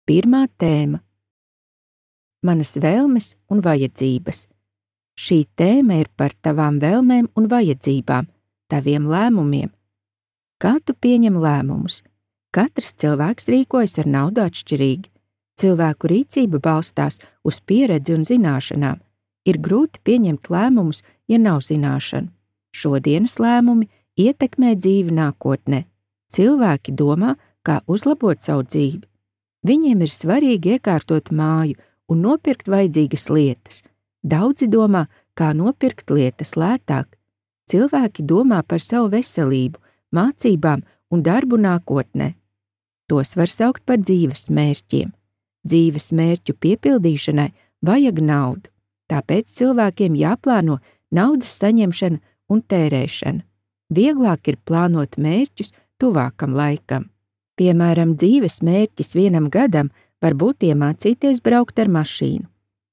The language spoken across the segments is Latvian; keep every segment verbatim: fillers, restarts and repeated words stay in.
Pirmā tēma – manas vēlmes un vajadzības. Šī tēma ir par tavām vēlmēm un vajadzībām, taviem lēmumiem. Kā tu pieņem lēmumus? Katrs cilvēks rīkojas ar naudu atšķirīgi. Cilvēku rīcība balstās uz pieredzi un zināšanām. Ir grūti pieņemt lēmumus, ja nav zināšanu. Šodienas lēmumi ietekmē dzīvi nākotnē. Cilvēki domā, kā uzlabot savu dzīvi. Viņiem ir svarīgi iekārtot māju un nopirkt vajadzīgas lietas. Daudzi domā, kā nopirkt lietas lētāk. Cilvēki domā par savu veselību, mācībām un darbu nākotnē. Tos var saukt par dzīves mērķiem. Dzīves mērķu piepildīšanai vajag naudu, tāpēc cilvēkiem jāplāno naudas saņemšana un tērēšana. Vieglāk ir plānot mērķus tuvākam laikam. Piemēram, dzīves mērķis vienam gadam var būt iemācīties braukt ar mašīnu.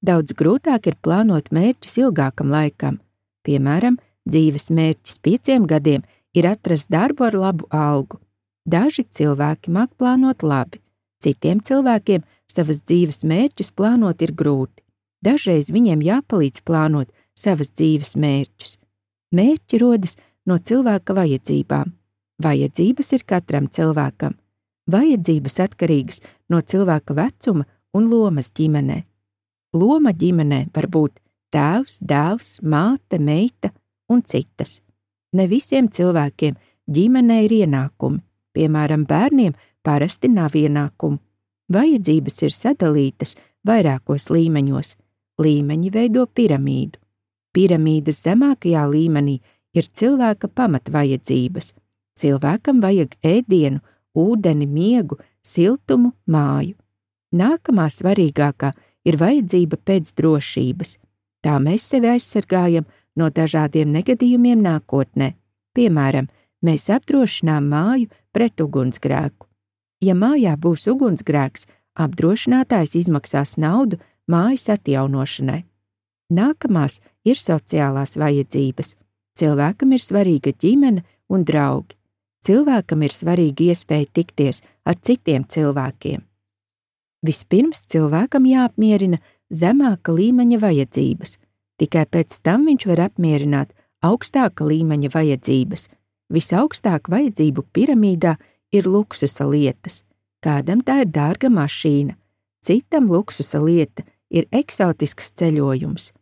Daudz grūtāk ir plānot mērķus ilgākam laikam. Piemēram, dzīves mērķis pieciem gadiem ir atrast darbu ar labu algu. Daži cilvēki māk plānot labi, citiem cilvēkiem savas dzīves mērķus plānot ir grūti. Dažreiz viņiem jāpalīdz plānot savas dzīves mērķus. Mērķi rodas no cilvēka vajadzībām. Vajadzības ir katram cilvēkam. Vajadzības atkarīgas no cilvēka vecuma un lomas ģimenē. Loma ģimenē var būt tēvs, dēls, māte, meita un citas. Ne visiem cilvēkiem ģimenē ir ienākumi. Piemēram, bērniem parasti nav ienākumu. Vajadzības ir sadalītas vairākos līmeņos. Līmeņi veido piramīdu. Piramīdas zemākajā līmenī ir cilvēka pamatvajadzības. Cilvēkam vajag ēdienu, ūdeni, miegu, siltumu, māju. Nākamā svarīgākā ir vajadzība pēc drošības. Tā mēs sevi aizsargājam no dažādiem negadījumiem nākotnē. Piemēram, mēs apdrošinām māju pret ugunsgrēku. Ja mājā būs ugunsgrēks, apdrošinātājs izmaksās naudu mājas atjaunošanai. Nākamās ir sociālās vajadzības. Cilvēkam ir svarīga ģimene un draugi. Cilvēkam ir svarīga iespēja tikties ar citiem cilvēkiem. Vispirms cilvēkam jāapmierina zemāka līmeņa vajadzības, tikai pēc tam viņš var apmierināt augstāka līmeņa vajadzības. Visaugstāk vajadzību piramīdā ir luksusa lietas. Kādam tā ir dārga mašīna, citam luksusa lieta ir eksotisks ceļojums.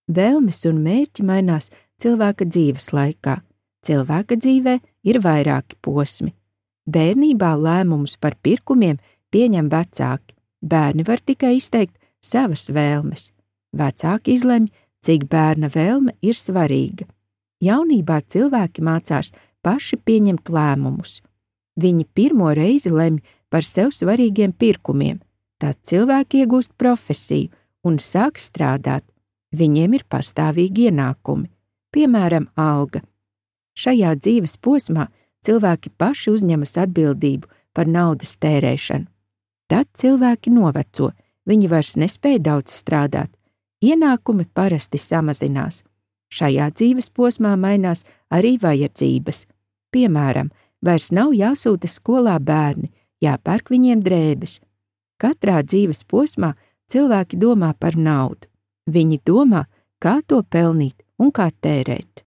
Vēlmes un mērķi mainās cilvēka dzīves laikā. Cilvēka dzīvē ir vairāki posmi. Bērnībā lēmumus par pirkumiem pieņem vecāki. Bērni var tikai izteikt savas vēlmes. Vecāki izlemj, cik bērna vēlme ir svarīga. Jaunībā cilvēki mācās paši pieņemt lēmumus. Viņi pirmo reizi lemj par sev svarīgiem pirkumiem. Tad cilvēki iegūst profesiju un sāk strādāt. Viņiem ir pastāvīgi ienākumi, piemēram, alga. Šajā dzīves posmā cilvēki paši uzņemas atbildību par naudas tērēšanu. Tad cilvēki noveco, viņi vairs nespēj daudz strādāt. Ienākumi parasti samazinās. Šajā dzīves posmā mainās arī vajadzības. Piemēram, vairs nav jāsūta skolā bērni, jāpērk viņiem drēbes. Katrā dzīves posmā cilvēki domā par naudu. Viņi domā, kā to pelnīt un kā tērēt.